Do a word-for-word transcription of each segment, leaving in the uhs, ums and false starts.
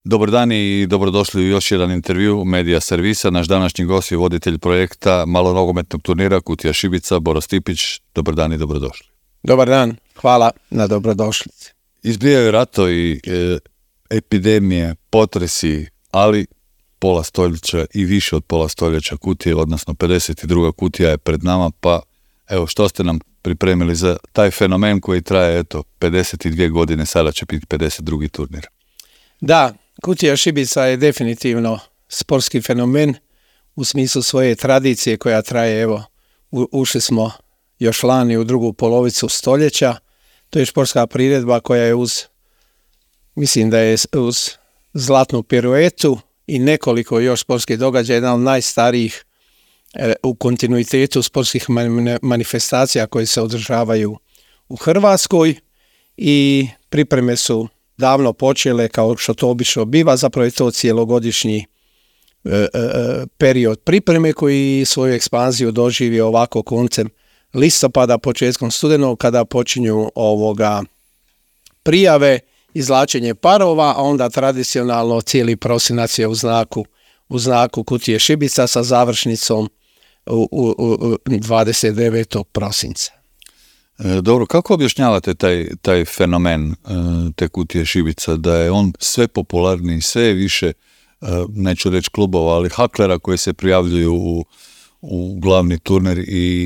Dobar dan i dobrodošli u još jedan intervju Medija servisa. Naš današnji gost je voditelj projekta malonogometnog turnira Kutija Šibica, Boro Stipić. Dobar dan i dobrodošli. Dobar dan, hvala na dobrodošlici. Izbijaju ratovi, e, epidemije, potresi, ali pola stoljeća i više od pola stoljeća Kutije, odnosno pedeset druga Kutija je pred nama, pa evo što ste nam pripremili za taj fenomen koji traje eto pedeset dvije godine, sada će biti pedeset drugi turnir. Da, Kutija Šibica je definitivno sportski fenomen u smislu svoje tradicije koja traje, evo, u, ušli smo još lani u drugu polovicu stoljeća. To je športska priredba koja je uz, mislim da je uz zlatnu piruetu i nekoliko još sportskih događaja, jedan od najstarijih e, u kontinuitetu sportskih man, manifestacija koje se održavaju u Hrvatskoj i pripreme su davno počele, kao što to obično biva, zapravo je to cijelogodišnji e, e, period pripreme koji svoju ekspanziju doživi ovako koncem listopada, početkom studenog, kada počinju ovoga prijave, izvlačenje parova, a onda tradicionalno cijeli prosinac je u znaku, u znaku Kutije Šibica sa završnicom u, u, u dvadeset devetog prosinca. Dobro, kako objašnjavate taj, taj fenomen te Kutije Šibica, da je on sve popularniji, sve više, neću reći klubova, ali haklera koji se prijavljuju u, u glavni turnir i,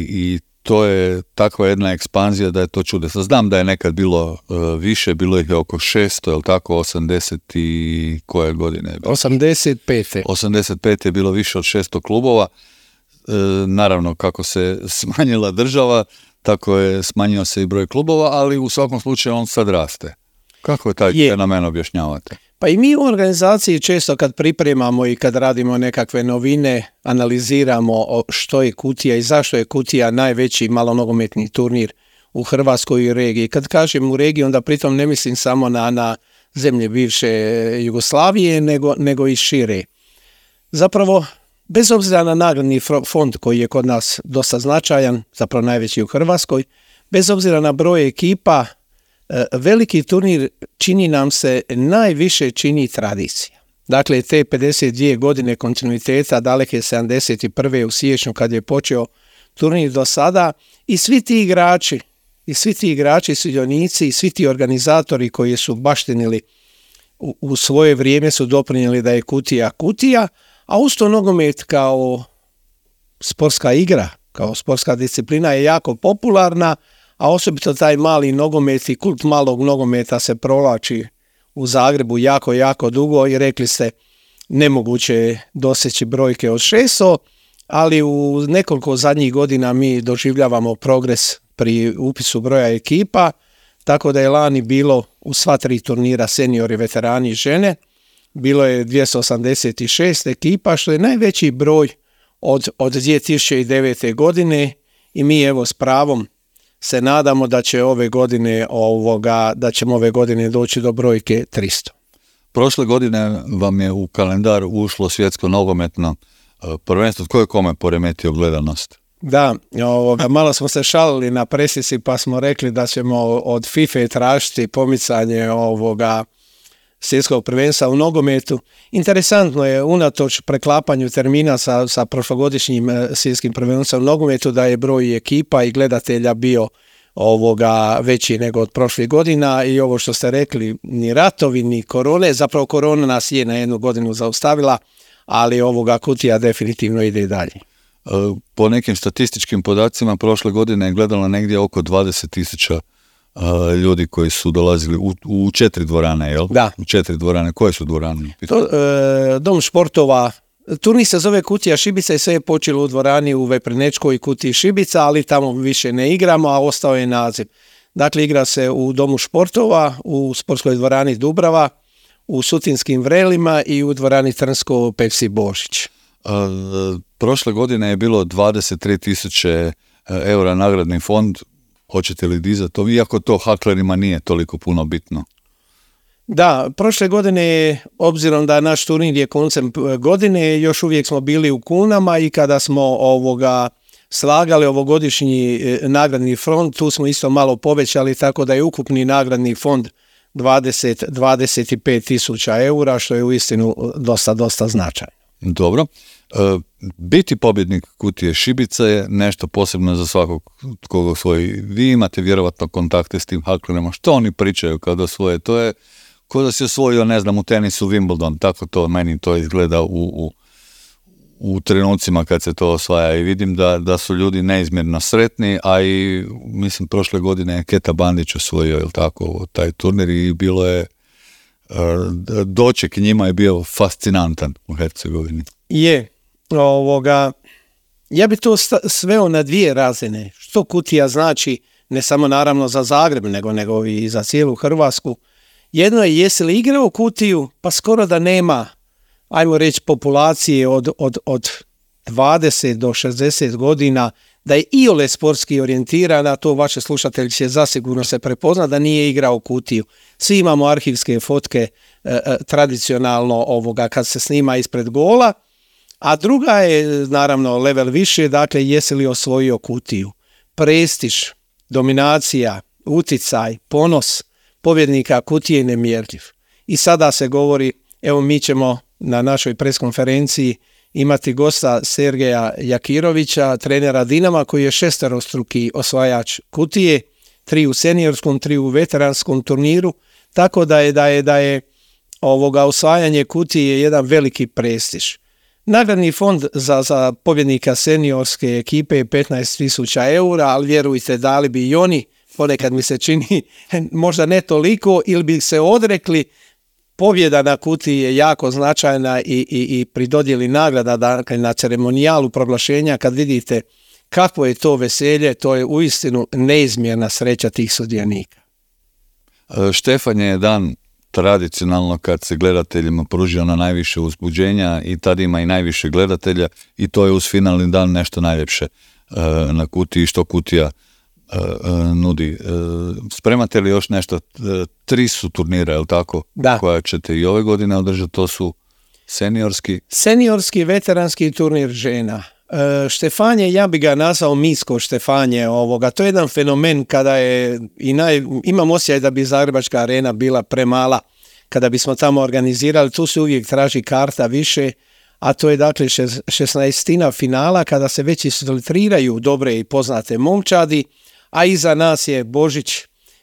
i to je takva jedna ekspanzija da je to čudesno. Znam da je nekad bilo uh, više, bilo ih je oko šesto, je li tako, osamdeset i koje godine? osamdeset pete osamdeset pete je bilo više od šesto klubova. E, naravno, kako se smanjila država, tako je smanjio se i broj klubova, ali u svakom slučaju on sad raste. Kako je taj je. fenomen objašnjavate? Pa i mi u organizaciji često kad pripremamo i kad radimo nekakve novine, analiziramo što je Kutija i zašto je Kutija najveći malonogometni turnir u Hrvatskoj i regiji. Kad kažem u regiji, onda pritom ne mislim samo na, na zemlje bivše Jugoslavije, nego, nego i šire. Zapravo, bez obzira na nagradni fond koji je kod nas dosta značajan, zapravo najveći u Hrvatskoj, bez obzira na broj ekipa, veliki turnir čini nam se, najviše čini tradicija. Dakle, te pedeset dvije godine kontinuiteta, daleke sedamdeset prve u siječnju kad je počeo turnir do sada, i svi ti igrači, i svi ti igrači, sudionici i svi ti organizatori koji su baštinili u, u svoje vrijeme su doprinijeli da je Kutija Kutija, a usto nogomet kao sportska igra, kao sportska disciplina je jako popularna, a osobito taj mali nogomet i kult malog nogometa se provlači u Zagrebu jako, jako dugo i rekli ste nemoguće je doseći brojke od šesto, ali u nekoliko zadnjih godina mi doživljavamo progres pri upisu broja ekipa, tako da je lani bilo u sva tri turnira seniori, veterani i žene, bilo je dvjesto osamdeset šest ekipa, što je najveći broj od, od dvije tisuće devete godine i mi evo s pravom se nadamo da će ove godine ovoga, da ćemo ove godine doći do brojke tristo. Prošle godine vam je u kalendar ušlo svjetsko nogometno prvenstvo. Tko je kome poremetio gledanost? Da, ovoga, malo smo se šalili na presici pa smo rekli da ćemo od FIFA tražiti pomicanje ovoga svjetskog prvenstva u nogometu. Interesantno je, unatoč preklapanju termina sa, sa prošlogodišnjim svjetskim prvenstvom u nogometu, da je broj ekipa i gledatelja bio ovoga veći nego od prošlih godina i ovo što ste rekli, ni ratovi, ni korone, zapravo korona nas je na jednu godinu zaustavila, ali ovoga Kutija definitivno ide i dalje. Po nekim statističkim podacima prošle godine je gledalo negdje oko dvadeset tisuća Uh, ljudi koji su dolazili u, u četiri dvorane, jel? Da. U četiri dvorane. Koje su dvorane? To, e, dom športova, turnir se zove Kutija Šibica i sve je počelo u dvorani u Veprenečkoj Kutiji Šibica, ali tamo više ne igramo, a ostao je naziv. Dakle, igra se u domu športova, u sportskoj dvorani Dubrava, u Sutinskim Vrelima i u dvorani Trnsko Pepsi Božić. Uh, prošle godine je bilo dvadeset tri tisuće eura nagradni fond. Hoćete li dizati to, iako to haklerima nije toliko puno bitno? Da, prošle godine, obzirom da naš turnir je koncem godine, još uvijek smo bili u kunama i kada smo ovoga slagali ovogodišnji nagradni fond, tu smo isto malo povećali, tako da je ukupni nagradni fond dvadeset do dvadeset pet tisuća eura, što je uistinu dosta, dosta značajno. Dobro. E, biti pobjednik kutije šibica je nešto posebno za svakog koga osvoji. Vi imate vjerovatno kontakte s tim haklerima. Što oni pričaju kada osvoje? To je ko da si osvojio, ne znam, u tenisu Wimbledon. Tako to meni to izgleda u, u, u trenucima kad se to osvaja. I vidim da, da su ljudi neizmjerno sretni, a i mislim prošle godine je Keta Bandić osvojio, jel tako, taj turnir i bilo je doček njima je bio fascinantan u Hercegovini. Je, ovoga, ja bi to sveo na dvije razine. Što kutija znači, ne samo naravno za Zagreb, nego, nego i za cijelu Hrvatsku. Jedno je jesi li igrao kutiju, pa skoro da nema, ajmo reći, populacije od, od, od dvadeset do šezdeset godina, da je iole sportski orijentirana, to vaše slušatelji će zasigurno se prepoznati da nije igrao kutiju. Svi imamo arhivske fotke e, e, tradicionalno ovoga kad se snima ispred gola, a druga je naravno level više, dakle jesi li osvojio kutiju. Prestiž, dominacija, uticaj, ponos pobjednika kutije je nemjerljiv. I sada se govori, evo mi ćemo na našoj preskonferenciji imati gosta Sergeja Jakirovića, trenera Dinama, koji je šesterostruki osvajač kutije, tri u seniorskom, tri u veteranskom turniru, tako da je da je, da je ovoga osvajanje kutije jedan veliki prestiž. Nagradni fond za, za pobjednika seniorske ekipe je petnaest tisuća eura, ali vjerujte, dali bi i oni, ponekad mi se čini, možda ne toliko, ili bi se odrekli. Pobjeda na kutiji je jako značajna i, i, i pri dodjeli nagrada, dakle na ceremonijalu proglašenja, kad vidite kakvo je to veselje, to je uistinu neizmjerna sreća tih sudionika. Štefan je dan tradicionalno kad se gledateljima pruži ono najviše uzbuđenja i tad ima i najviše gledatelja i to je uz finalni dan nešto najljepše na kutiji, što kutija nudi. Spremate li još nešto? Tri su turnira, je li tako? Da. Koja ćete i ove godine održati, to su seniorski? Seniorski, veteranski turnir žena. Štefanje, ja bi ga nazvao misko Štefanje ovoga. To je jedan fenomen kada je, i naj, imam osjećaj da bi Zagrebačka arena bila premala kada bismo tamo organizirali, tu se uvijek traži karta više, a to je dakle šesnaestina finala kada se već isfiltriraju dobre i poznate momčadi, a iza nas je Božić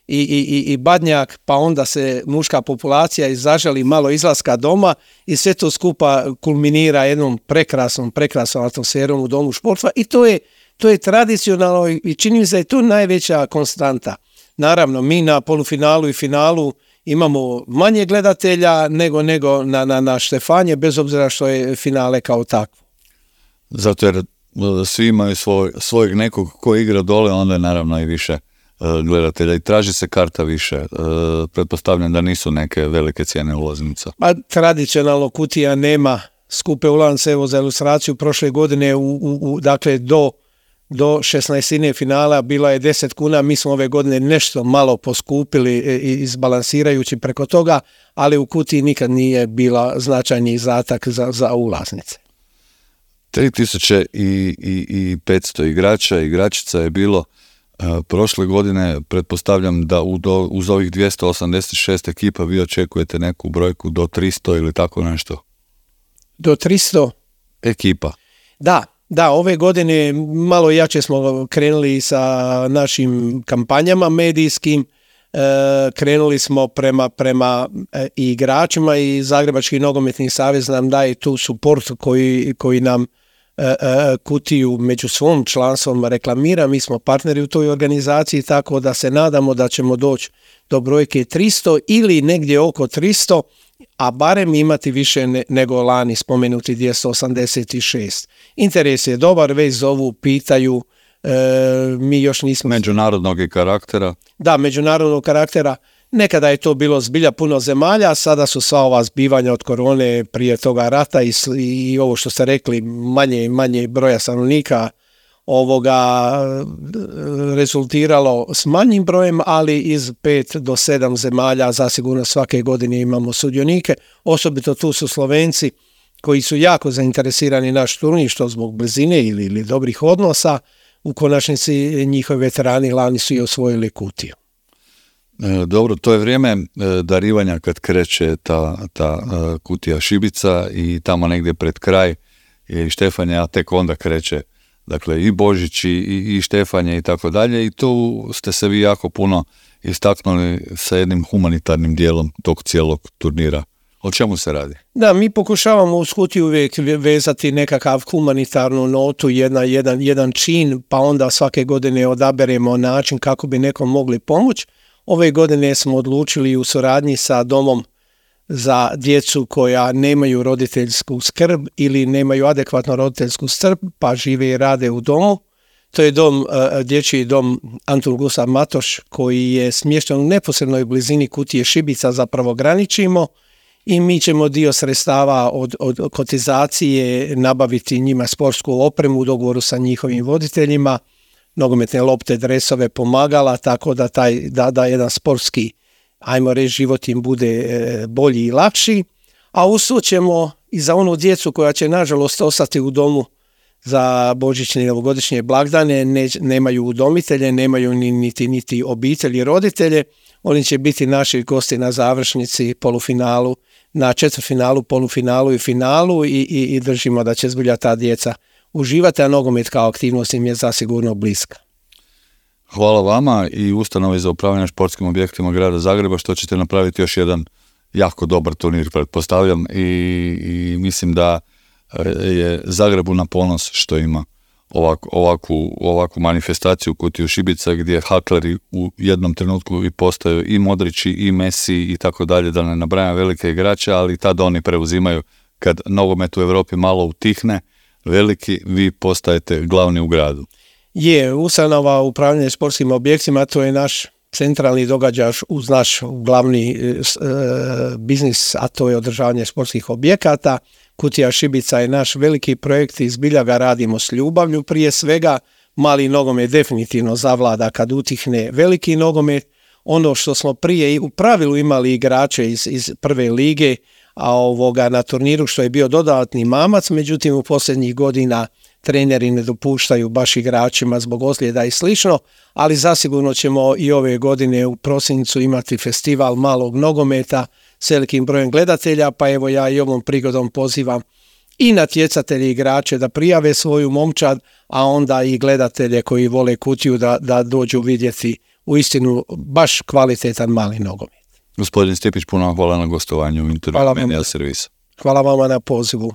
i, i, i Badnjak, pa onda se muška populacija izaželi malo izlaska doma i sve to skupa kulminira jednom prekrasnom, prekrasnom atmosferom u domu športstva i to je, to je tradicionalno i čini mi se da je to najveća konstanta. Naravno, mi na polufinalu i finalu imamo manje gledatelja nego, nego na, na, na Štefanje, bez obzira što je finale kao takvo. Zato jer svi imaju svoj, svojeg nekog ko igra dole, onda je naravno i više uh, gledatelja i traži se karta više. Uh, pretpostavljam da nisu neke velike cijene ulaznica. Pa tradicionalno kutija nema skupe ulaznice, evo za ilustraciju prošle godine u, u, u, dakle do, do šesnaestine finala bila je deset kuna, mi smo ove godine nešto malo poskupili izbalansirajući preko toga, ali u kutiji nikad nije bila značajni izdatak za, za ulaznice. tri tisuće petsto igrača i igračica je bilo uh, prošle godine. Pretpostavljam da u do, uz ovih dvjesto osamdeset šest ekipa vi očekujete neku brojku do tristo ili tako nešto? Do tristo? Ekipa. Da, da, ove godine malo jače smo krenuli sa našim kampanjama medijskim, e, krenuli smo prema, prema e, igračima i Zagrebački nogometni savez nam daje tu suport koji, koji nam kutiju među svom članstvom reklamira, mi smo partneri u toj organizaciji, tako da se nadamo da ćemo doći do brojke tristo ili negdje oko tristo, a barem imati više ne, nego lani spomenuti dvjesto osamdeset šest. Interes je dobar, već zovu, pitaju, e, mi još nismo... Međunarodnog i karaktera? Da, međunarodnog karaktera. Nekada je to bilo zbilja puno zemalja, sada su sva ova zbivanja od korone, prije toga rata i, i ovo što ste rekli, manje manje broja stanovnika ovoga rezultiralo s manjim brojem, ali iz pet do sedam zemalja zasigurno svake godine imamo sudionike. Osobito tu su Slovenci koji su jako zainteresirani naš turnir, što zbog blizine ili, ili dobrih odnosa. U konačnici njihovi veterani lani su i osvojili kutiju. Dobro, to je vrijeme darivanja kad kreće ta, ta kutija šibica i tamo negdje pred kraj je i Štefanje, a tek onda kreće, dakle, i Božić i, i Štefanje i tako dalje, i tu ste se vi jako puno istaknuli sa jednim humanitarnim dijelom tog cijelog turnira. O čemu se radi? Da, mi pokušavamo uz kutiju uvijek vezati nekakav humanitarnu notu, jedna, jedan, jedan čin, pa onda svake godine odaberemo način kako bi nekom mogli pomoći. Ove godine smo odlučili u suradnji sa domom za djecu koja nemaju roditeljsku skrb ili nemaju adekvatnu roditeljsku skrb, pa žive i rade u domu. To je dom, dječji dom Antun Gustav Matoš, koji je smješten u neposrednoj blizini kutije šibica, zapravo graničimo, i mi ćemo dio sredstava od, od kotizacije nabaviti njima sportsku opremu u dogovoru sa njihovim voditeljima, nogometne lopte, dresove, pomagala, tako da taj da, da jedan sportski, ajmo reći, život im bude e, bolji i lakši, a usud ćemo i za onu djecu koja će nažalost ostati u domu za božićne i novogodišnje blagdane, ne, nemaju udomitelje, nemaju ni, niti, niti obitelji, roditelje, oni će biti naši gosti na završnici, polufinalu, na četvrtfinalu, polufinalu i finalu i, i, i držimo da će zbilja ta djeca uživati, a nogomet kao aktivnost im je zasigurno bliska. Hvala vama i Ustanovi za upravljanje športskim objektima grada Zagreba što ćete napraviti još jedan jako dobar turnir, pretpostavljam, i, i mislim da je Zagrebu na ponos što ima ovak, ovakvu, ovakvu manifestaciju kutiju šibica gdje hakleri u jednom trenutku i postaju i Modrići i Messi i tako dalje, da ne nabrajam velike igrače, ali tad oni preuzimaju kad nogomet u Europi malo utihne, veliki, vi postajete glavni u gradu. Je, ustanova upravljanje sportskim objektima, to je naš centralni događaj uz naš glavni e, biznis, a to je održavanje sportskih objekata. Kutija šibica je naš veliki projekt i zbilja ga radimo s ljubavlju. Prije svega, mali nogomet definitivno zavlada kad utihne veliki nogomet. Ono što smo prije u pravilu imali igrače iz, iz prve lige, a ovoga na turniru što je bio dodatni mamac, međutim u posljednjih godina treneri ne dopuštaju baš igračima zbog ozljeda i slično, ali zasigurno ćemo i ove godine u prosincu imati festival malog nogometa s velikim brojem gledatelja, pa evo ja i ovom prigodom pozivam i natjecatelje i igrače da prijave svoju momčad, a onda i gledatelje koji vole kutiju da, da dođu vidjeti uistinu baš kvalitetan mali nogomet. Gospodin Stipić, puno hvala na gostovanju u intervju Media Servisa. Hvala vama na pozivu.